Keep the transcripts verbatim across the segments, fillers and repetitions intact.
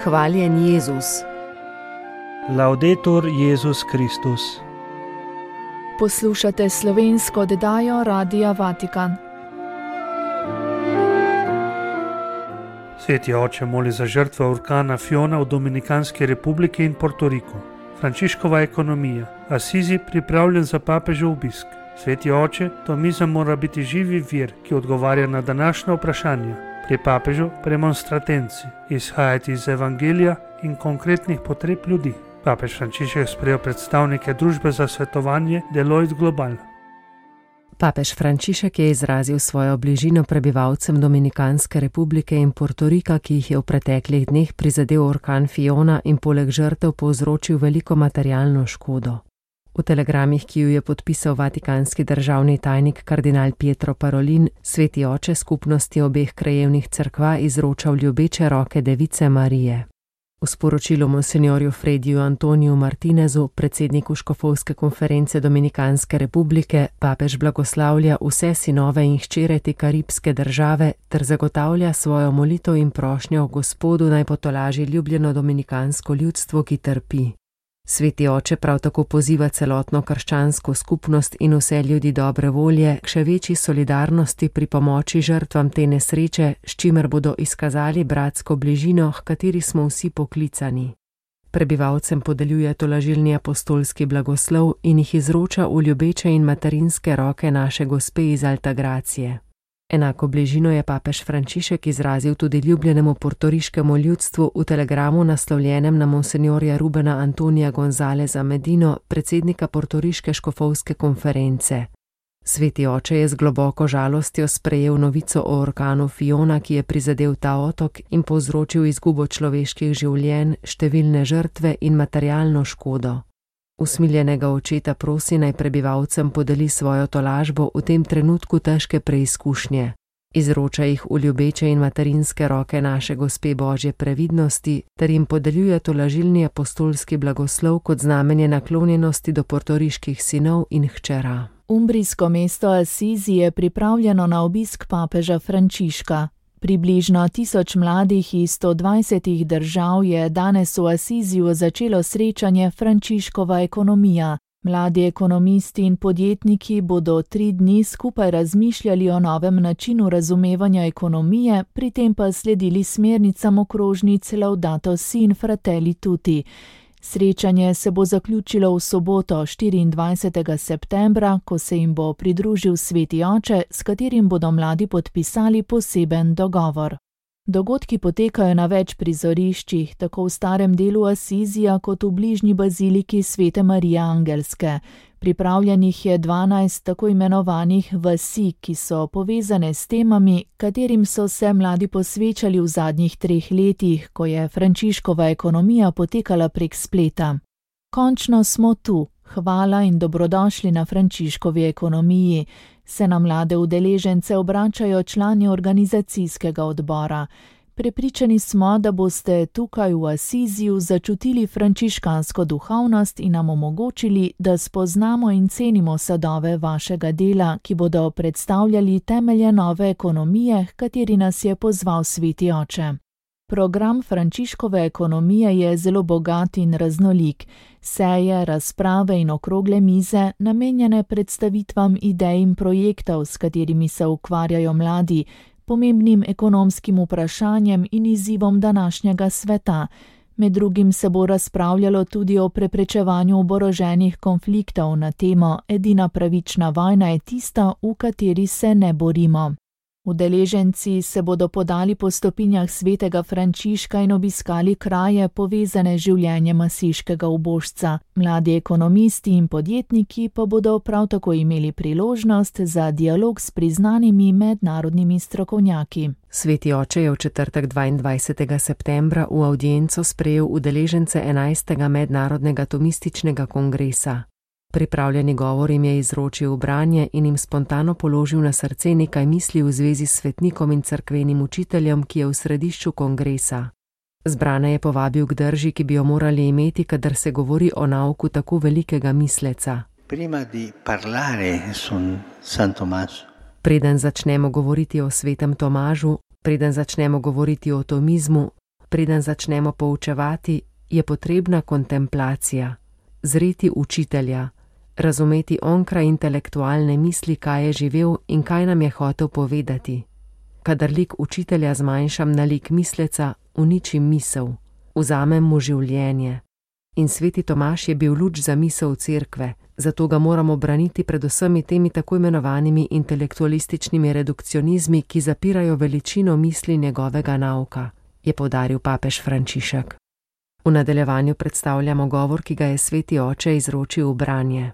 Hvaljen Jezus. Laudetur Jezus Kristus. Poslušate slovensko oddajo Radia Vatikan. Sveti oče moli za žrtve orkana Fiona v Dominikanski republiki in Portoriku. Frančiškova ekonomija. Asizi pripravljen za papežev obisk. Sveti oče, tomizem mora biti živi vir, ki odgovarja na današnja vprašanja. Pri papežu premonstratenci, izhajati iz evangelija in konkretnih potreb ljudi. Papež Frančišek je sprejel predstavnike družbe za svetovanje Deloitte Global. Papež Frančišek je izrazil svojo bližino prebivalcem Dominikanske republike in Portorika, ki jih je v preteklih dneh prizadel orkan Fiona in poleg žrtev povzročil veliko materialno škodo. V telegramih, ki ju je podpisal vatikanski državni tajnik kardinal Pietro Parolin, sveti oče skupnosti obeh krajevnih cerkva izročal ljubeče roke Device Marije. V sporočilu monsinjorju Frediju Antoniju Martinezu, predsedniku škofovske konference Dominikanske republike, papež blagoslavlja vse sinove in hčere te karibske države ter zagotavlja svojo molitev in prošnjo Gospodu naj potolaži ljubljeno dominikansko ljudstvo, ki trpi. Sveti oče prav tako poziva celotno krščansko skupnost in vse ljudi dobre volje k še večji solidarnosti pri pomoči žrtvam te nesreče, s čimer bodo izkazali bratsko bližino, h kateri smo vsi poklicani. Prebivalcem podeljuje tolažilni apostolski blagoslov in jih izroča v ljubeče in materinske roke naše Gospe iz Altagracije. Enako bližino je papež Frančišek izrazil tudi ljubljenemu portoriškemu ljudstvu v telegramu naslovljenem na monsinjorja Rubena Antonija Gonzaleza Medino, predsednika portoriške škofovske konference. Sveti oče je z globoko žalostjo sprejel novico o orkanu Fiona, ki je prizadel ta otok in povzročil izgubo človeških življenj, številne žrtve in materialno škodo. Usmiljenega očeta prosi naj prebivalcem podeli svojo tolažbo v tem trenutku težke preizkušnje. Izroča jih v ljubeče in materinske roke naše Gospe Božje previdnosti ter jim podeljuje tolažilni apostolski blagoslov kot znamenje naklonjenosti do portoriških sinov in hčera. Umbrijsko mesto Asizi je pripravljeno na obisk papeža Frančiška. Približno tisoč mladih iz sto dvajsetih držav je danes v Asiziju začelo srečanje Frančiškova ekonomija. Mladi ekonomisti in podjetniki bodo tri dni skupaj razmišljali o novem načinu razumevanja ekonomije, pri tem pa sledili smernicam okrožnic Laudato Si in Fratelli Tutti. Srečanje se bo zaključilo v soboto štiriindvajsetega septembra, ko se jim bo pridružil sveti oče, s katerim bodo mladi podpisali poseben dogovor. Dogodki potekajo na več prizoriščih, tako v starem delu Asizija kot v bližnji baziliki Svete Marije Angelske. Pripravljenih je dvanajst tako imenovanih vasi, ki so povezane s temami, katerim so se mladi posvečali v zadnjih treh letih, ko je Frančiškova ekonomija potekala prek spleta. Končno smo tu, hvala in dobrodošli na Frančiškovi ekonomiji, se na mlade udeležence obračajo člani organizacijskega odbora. Prepričani smo, da boste tukaj v Asiziju začutili frančiškansko duhovnost in nam omogočili, da spoznamo in cenimo sadove vašega dela, ki bodo predstavljali temelje nove ekonomije, h kateri nas je pozval sveti oče. Program Frančiškove ekonomije je zelo bogat in raznolik. Seje, razprave in okrogle mize, namenjene predstavitvam idej in projektov, s katerimi se ukvarjajo mladi, pomembnim ekonomskim vprašanjem in izzivom današnjega sveta. Med drugim se bo razpravljalo tudi o preprečevanju oboroženih konfliktov na temo Edina pravična vojna je tista, v kateri se ne borimo. Udeleženci se bodo podali po stopinjah svetega Frančiška in obiskali kraje povezane z življenjem asiškega ubožca. Mladi ekonomisti in podjetniki pa bodo prav tako imeli priložnost za dialog s priznanimi mednarodnimi strokovnjaki. Sveti oče je v četrtek dvaindvajsetega septembra v avdienco sprejel udeležence enajstega mednarodnega tomističnega kongresa. Pripravljeni govor jim je izročil branje in jim spontano položil na srce nekaj misli v zvezi s svetnikom in cerkvenim učiteljem, ki je v središču kongresa. Zbrane je povabil k drži, ki bi jo morali imeti, kadar se govori o nauku tako velikega misleca. Prima di parlare su San Tommaso. Preden začnemo govoriti o svetem Tomažu, preden začnemo govoriti o tomizmu, Preden začnemo poučevati, je potrebna kontemplacija, zreti učitelja, razumeti onkraj intelektualne misli, kaj je živel in kaj nam je hotel povedati. Kadar lik učitelja zmanjšam na lik misleca, uničim misel, vzamem mu življenje. In sveti Tomaž je bil luč za misel cerkve, zato ga moramo braniti pred vsemi temi tako imenovanimi intelektualističnimi redukcionizmi, ki zapirajo veličino misli njegovega nauka, je poudaril papež Frančišek. V nadaljevanju predstavljamo govor, ki ga je sveti oče izročil v branje.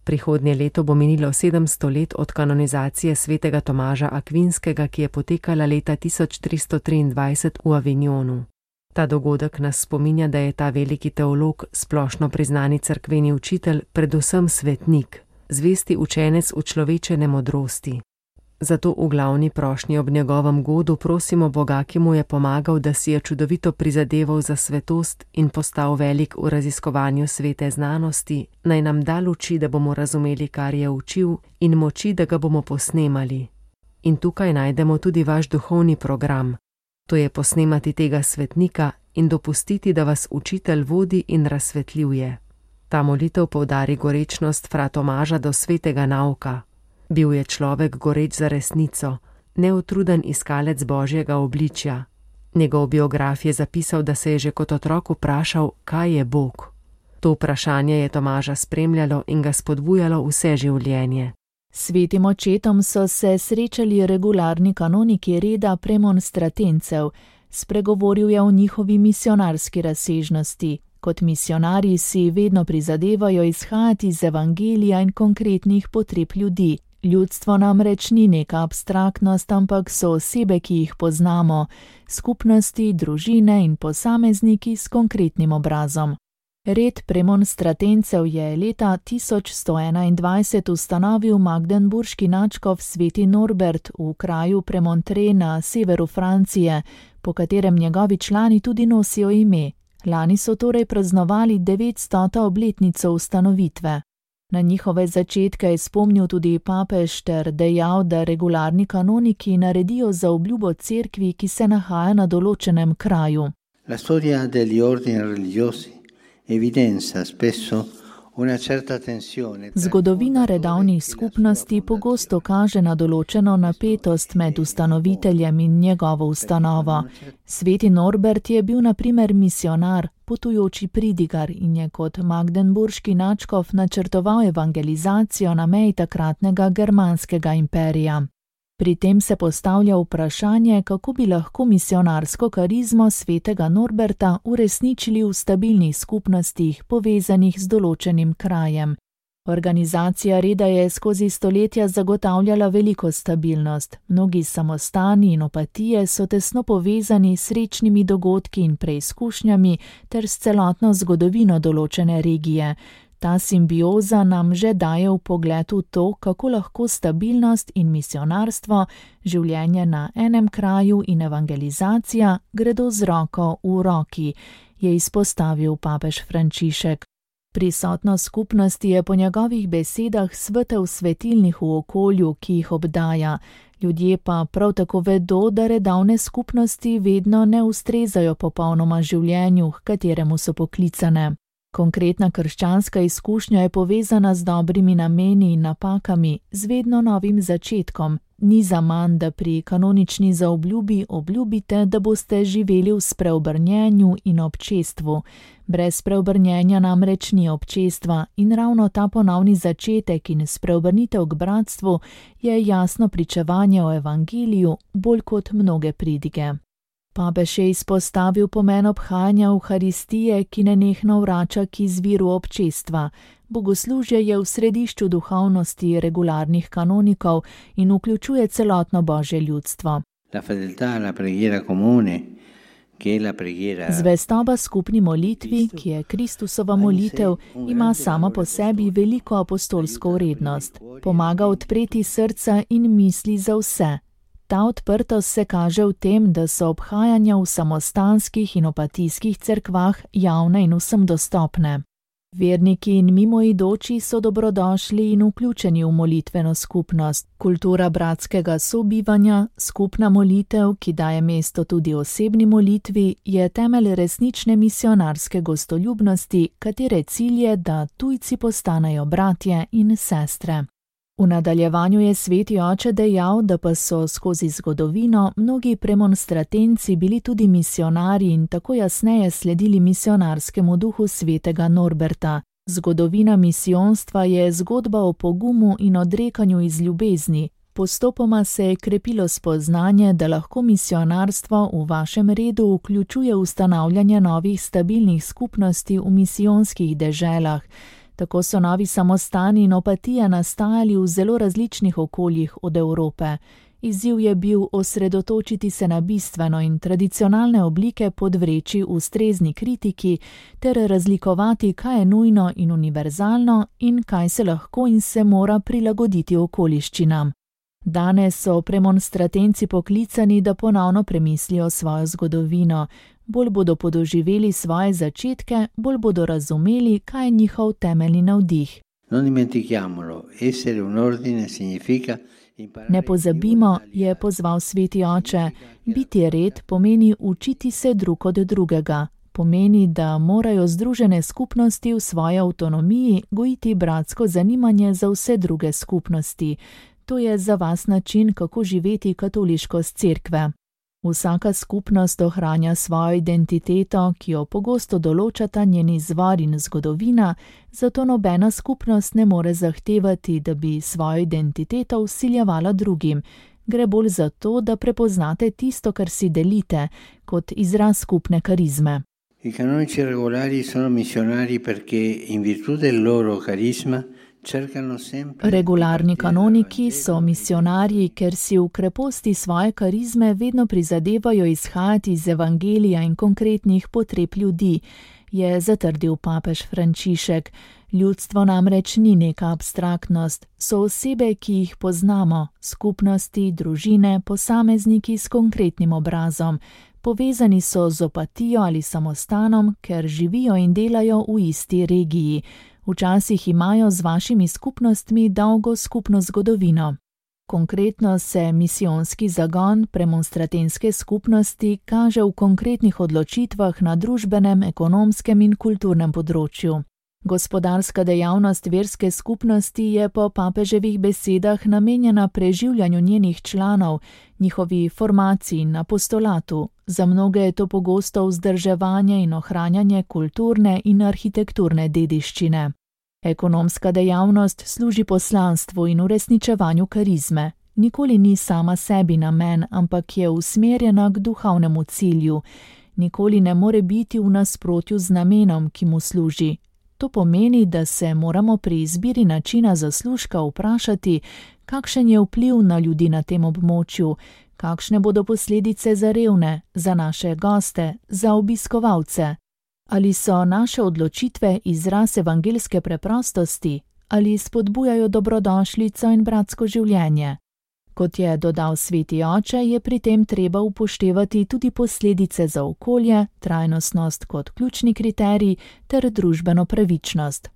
Prihodnje leto bo minilo sedemsto let od kanonizacije svetega Tomaža Akvinskega, ki je potekala leta tisoč tristo triindvajset v Avignonu. Ta dogodek nas spominja, da je ta veliki teolog, splošno priznani cerkveni učitelj, predvsem svetnik, zvesti učenec učlovečene modrosti. Zato v glavni prošnji ob njegovem godu prosimo Boga, ki mu je pomagal, da si je čudovito prizadeval za svetost in postal velik v raziskovanju svete znanosti, naj nam da luči, da bomo razumeli, kar je učil, in moči, da ga bomo posnemali. In tukaj najdemo tudi vaš duhovni program. To je posnemati tega svetnika in dopustiti, da vas učitelj vodi in razsvetljuje. Ta molitev poudari gorečnost fra Tomaža do svetega nauka. Bil je človek goreč za resnico, neutruden iskalec božjega obličja. Njegov biograf je zapisal, da se je že kot otrok vprašal, kaj je Bog. To vprašanje je Tomaža spremljalo in ga spodbujalo vse življenje. Svetim očetom so se srečali regularni kanoniki reda premonstratencev, spregovoril je o njihovi misionarski razsežnosti. Kot misionarji si vedno prizadevajo izhajati iz evangelija in konkretnih potreb ljudi. Ljudstvo namreč ni neka abstraktnost, ampak so osebe, ki jih poznamo, skupnosti, družine in posamezniki s konkretnim obrazom. Red premonstratencev je leta tisoč sto enaindvajset ustanovil magdeburški nadškof sveti Norbert v kraju Premontre na severu Francije, po katerem njegovi člani tudi nosijo ime. Lani so torej praznovali devetstoto obletnico ustanovitve. Na njihove začetke je spomnil tudi papež ter dejal, da regularni kanoniki naredijo za obljubo cerkvi, ki se nahaja na določenem kraju. La storia degli ordini religiosi evidenza spesso una certa tensione. Zgodovina redovnih skupnosti pogosto kaže na določeno napetost med ustanoviteljem in njegovo ustanovo. Sveti Norbert je bil na primer misionar, potujoči pridigar in je kot magdeburški nadškof načrtoval evangelizacijo na meji takratnega germanskega imperija. Pri tem se postavlja vprašanje, kako bi lahko misionarsko karizmo svetega Norberta uresničili v stabilnih skupnostih, povezanih z določenim krajem. Organizacija reda je skozi stoletja zagotavljala veliko stabilnost. Mnogi samostani in opatije so tesno povezani s srečnimi dogodki in preizkušnjami ter s celotno zgodovino določene regije. Ta simbioza nam že daje vpogled v to, kako lahko stabilnost in misionarstvo, življenje na enem kraju in evangelizacija gredo z roko v roki, je izpostavil papež Frančišek. Prisotnost skupnosti je po njegovih besedah svetel svetilnih v okolju, ki jih obdaja. Ljudje pa prav tako vedo, da redovne skupnosti vedno ne ustrezajo popolnoma življenju, h kateremu so poklicane. Konkretna krščanska izkušnja je povezana z dobrimi nameni in napakami, z vedno novim začetkom. Ni zaman, da pri kanonični zaobljubi obljubite, da boste živeli v spreobrnjenju in občestvu. Brez spreobrnjenja namreč ni občestva in ravno ta ponovni začetek in spreobrnitev k bratstvu je jasno pričevanje o evangeliju bolj kot mnoge pridige. Papež je izpostavil pomen obhajanja Evharistije, ki nenehno vrača k izviru občestva. Bogoslužje je v središču duhovnosti regularnih kanonikov in vključuje celotno božje ljudstvo. La fedeltà alla preghiera comune, che è la preghiera. Zvestoba skupni molitvi, ki je Kristusova molitev, ima sama po sebi veliko apostolsko vrednost. Pomaga odpreti srca in misli za vse. Ta odprtost se kaže v tem, da so obhajanja v samostanskih in opatijskih cerkvah javne in vsem dostopne. Verniki in mimoidoči so dobrodošli in vključeni v molitveno skupnost. Kultura bratskega sobivanja, skupna molitev, ki daje mesto tudi osebni molitvi, je temelj resnične misionarske gostoljubnosti, katere cilj je, da tujci postanejo bratje in sestre. V nadaljevanju je sveti oče dejal, da pa so skozi zgodovino mnogi premonstratenci bili tudi misionarji in tako jasneje sledili misionarskemu duhu svetega Norberta. Zgodovina misijonstva je zgodba o pogumu in odrekanju iz ljubezni. Postopoma se je krepilo spoznanje, da lahko misionarstvo v vašem redu vključuje ustanavljanje novih stabilnih skupnosti v misijonskih deželah. Tako so novi samostani in opatija nastajali v zelo različnih okoljih od Evrope. Izziv je bil osredotočiti se na bistveno in tradicionalne oblike podvreči ustrezni kritiki ter razlikovati, kaj je nujno in univerzalno in kaj se lahko in se mora prilagoditi okoliščinam. Danes so premonstratenci poklicani, da ponovno premislijo svojo zgodovino. Bolj bodo podoživeli svoje začetke, bolj bodo razumeli, kaj je njihov temeljni navdih. Ne pozabimo, je pozval sveti oče, biti red pomeni učiti se drug od drugega. Pomeni, da morajo združene skupnosti v svoji avtonomiji gojiti bratsko zanimanje za vse druge skupnosti. To je za vas način, kako živeti katoliškost cerkve. Vsaka skupnost ohranja svojo identiteto, ki jo pogosto določata njen izvor in zgodovina, zato nobena skupnost ne more zahtevati, da bi svojo identiteto vsiljevala drugim. Gre bolj za to, da prepoznate tisto, kar si delite, kot izraz skupne karizme. I canonici regolari sono missionari perché in virtù del loro carisma Regularni kanoniki so misionarji, ker si v kreposti svoje karizme vedno prizadevajo izhajati iz evangelija in konkretnih potreb ljudi, je zatrdil papež Frančišek. Ljudstvo namreč ni neka abstraktnost, so osebe, ki jih poznamo, skupnosti, družine, posamezniki s konkretnim obrazom. Povezani so z opatijo ali samostanom, ker živijo in delajo v isti regiji. Včasih imajo z vašimi skupnostmi dolgo skupno zgodovino. Konkretno se misijonski zagon premonstratenske skupnosti kaže v konkretnih odločitvah na družbenem, ekonomskem in kulturnem področju. Gospodarska dejavnost verske skupnosti je po papeževih besedah namenjena preživljanju njenih članov, njihovi formaciji in apostolatu. Za mnoge je to pogosto vzdrževanje in ohranjanje kulturne in arhitekturne dediščine. Ekonomska dejavnost služi poslanstvu in uresničevanju karizme. Nikoli ni sama sebi namen, ampak je usmerjena k duhovnemu cilju. Nikoli ne more biti v nasprotju z namenom, ki mu služi. To pomeni, da se moramo pri izbiri načina zaslužka vprašati, kakšen je vpliv na ljudi na tem območju, kakšne bodo posledice za revne, za naše goste, za obiskovalce. Ali so naše odločitve izraz evangeljske preprostosti, ali spodbujajo dobrodošlico in bratsko življenje. Kot je dodal sveti oče, je pri tem treba upoštevati tudi posledice za okolje, trajnostnost kot ključni kriterij ter družbeno pravičnost.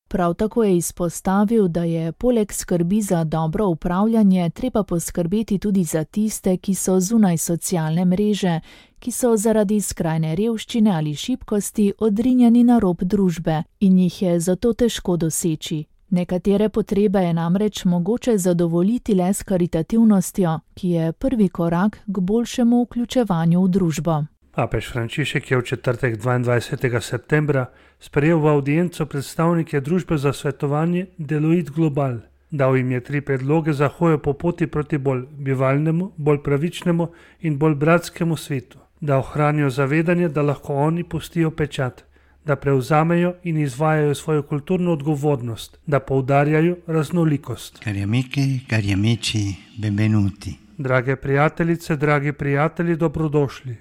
Prav tako je izpostavil, da je poleg skrbi za dobro upravljanje treba poskrbeti tudi za tiste, ki so zunaj socialne mreže, ki so zaradi skrajne revščine ali šibkosti odrinjeni na rob družbe in jih je zato težko doseči. Nekatere potrebe je namreč mogoče zadovoljiti le s karitativnostjo, ki je prvi korak k boljšemu vključevanju v družbo. Papež Frančišek je v četrtek dvaindvajsetega septembra sprejel v avdienco predstavnike družbe za svetovanje Deloitte Global. Dal jim je tri predloge za hojo po poti proti bolj bivalnemu, bolj pravičnemu in bolj bratskemu svetu. Da ohranijo zavedanje, da lahko oni pustijo pečat, da prevzamejo in izvajajo svojo kulturno odgovornost, da poudarjajo raznolikost. Cari amiche, cari amici, benvenuti. Drage prijateljice, dragi prijatelji, dobrodošli.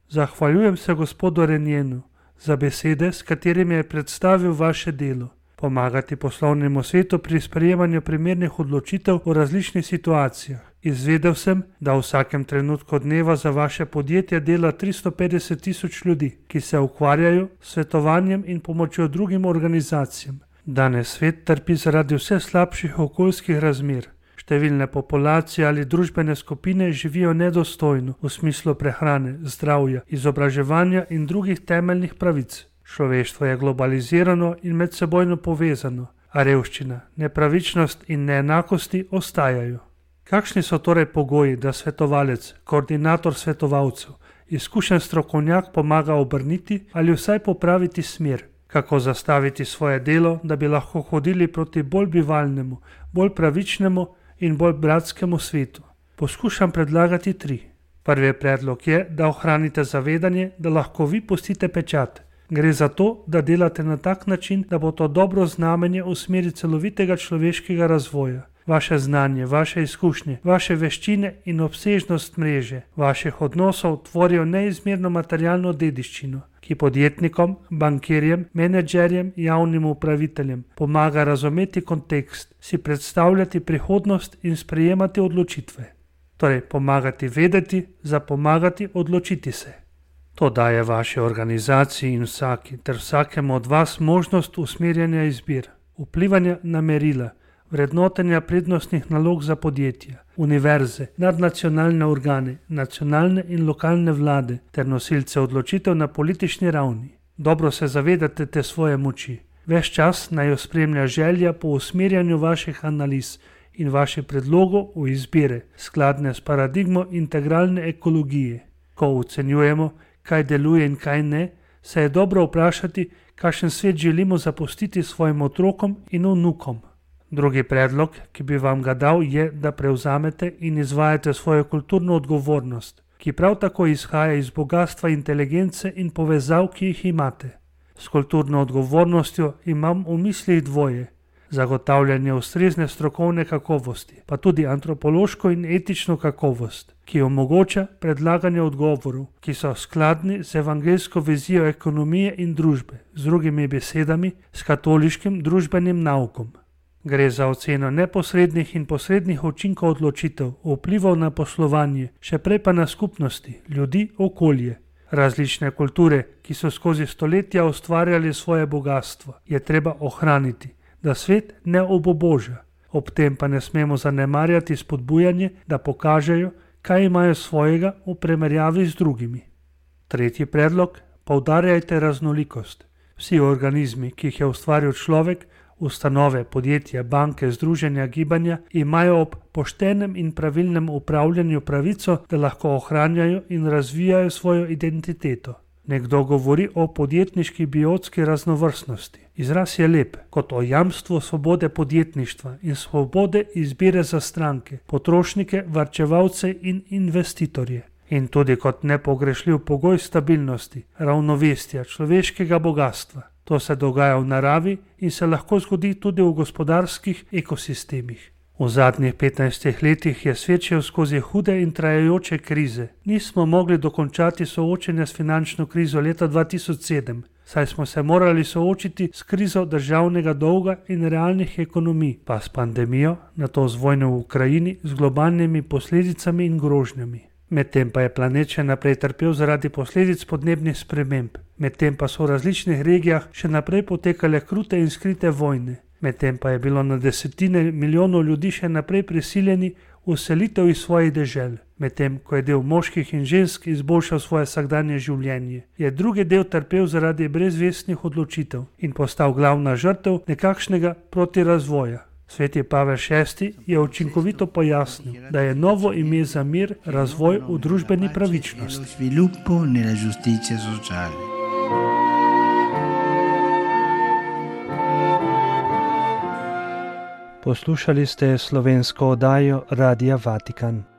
Zahvaljujem se gospodu Renjenu za besede, s katerimi je predstavil vaše delo. Pomagati poslovnemu svetu pri sprejemanju primernih odločitev v različnih situacijah. Izvedel sem, da v vsakem trenutku dneva za vaše podjetje dela tristo petdeset tisoč ljudi, ki se ukvarjajo s svetovanjem in pomočjo drugim organizacijam. Danes svet trpi zaradi vse slabših okoljskih razmer. Številne populacije ali družbene skupine živijo nedostojno v smislu prehrane, zdravja, izobraževanja in drugih temeljnih pravic. Človeštvo je globalizirano in medsebojno povezano, a revščina, nepravičnost in neenakosti ostajajo. Kakšni so torej pogoji, da svetovalec, koordinator svetovalcev, izkušen strokovnjak pomaga obrniti ali vsaj popraviti smer? Kako zastaviti svoje delo, da bi lahko hodili proti bolj bivalnemu, bolj pravičnemu in bolj bratskemu svetu? Poskušam predlagati tri. Prvi predlog je, da ohranite zavedanje, da lahko vi pustite pečat. Gre za to, da delate na tak način, da bo to dobro znamenje v smeri celovitega človeškega razvoja. Vaše znanje, vaše izkušnje, vaše veščine in obsežnost mreže vaših odnosov tvorijo neizmerno materialno dediščino, ki podjetnikom, bankirjem, menedžerjem, javnim upraviteljem pomaga razumeti kontekst, si predstavljati prihodnost in sprejemati odločitve. Torej, pomagati vedeti, zapomagati odločiti se. To daje vaši organizaciji in vsaki ter vsakemu od vas možnost usmerjanja izbir, vplivanja na merila, vrednotenja prednostnih nalog za podjetja, univerze, nadnacionalne organe, nacionalne in lokalne vlade ter nosilce odločitev na politični ravni. Dobro se zavedate te svoje moči. Ves čas naj jo spremlja želja po usmerjanju vaših analiz in vaših predlogov v izbire, skladne s paradigmo integralne ekologije. Ko ocenjujemo, kaj deluje in kaj ne, se je dobro vprašati, kakšen svet želimo zapustiti svojim otrokom in vnukom. Drugi predlog, ki bi vam ga dal, je, da prevzamete in izvajate svojo kulturno odgovornost, ki prav tako izhaja iz bogatstva inteligence in povezav, ki jih imate. S kulturno odgovornostjo imam v mislih dvoje: zagotavljanje ustrezne strokovne kakovosti, pa tudi antropološko in etično kakovost, ki omogoča predlaganje odgovorov, ki so skladni z evangeljsko vizijo ekonomije in družbe, z drugimi besedami, s katoliškim družbenim naukom. Gre za oceno neposrednih in posrednih učinkov odločitev, vplivov na poslovanje, še prej pa na skupnosti, ljudi, okolje. Različne kulture, ki so skozi stoletja ustvarjali svoje bogatstvo, je treba ohraniti, da svet ne obuboža. Ob tem pa ne smemo zanemarjati spodbujanje, da pokažejo, kaj imajo svojega v primerjavi z drugimi. Tretji predlog: poudarjajte raznolikost. Vsi organizmi, ki jih je ustvaril človek, ustanove, podjetja, banke, združenja, gibanja, imajo ob poštenem in pravilnem upravljanju pravico, da lahko ohranjajo in razvijajo svojo identiteto. Nekdo govori o podjetniški biotski raznovrstnosti. Izraz je lep, kot o jamstvu svobode podjetništva in svobode izbire za stranke, potrošnike, varčevalce in investitorje. In tudi kot nepogrešljiv pogoj stabilnosti, ravnovesja, človeškega bogatstva. To se dogaja v naravi in se lahko zgodi tudi v gospodarskih ekosistemih. V zadnjih petnajstih letih je svet šel skozi hude in trajajoče krize. Nismo mogli dokončati soočenja s finančno krizo leta dva tisoč sedem, saj smo se morali soočiti s krizo državnega dolga in realnih ekonomij, pa s pandemijo, nato z vojno v Ukrajini, z globalnimi posledicami in grožnjami. Medtem pa je planet še naprej trpel zaradi posledic podnebnih sprememb. Medtem pa so v različnih regijah še naprej potekale krute in skrite vojne. Medtem pa je bilo na desetine milijonov ljudi še naprej prisiljeni v selitev iz svojih dežel. Medtem ko je del moških in žensk izboljšal svoje vsakdanje življenje, je drugi del trpel zaradi brezvestnih odločitev in postal glavna žrtev nekakšnega protirazvoja. Sveti Pavel šesti je učinkovito pojasnil, da je novo ime za mir razvoj v družbeni pravičnosti. Poslušali ste slovensko oddajo Radia Vatikan.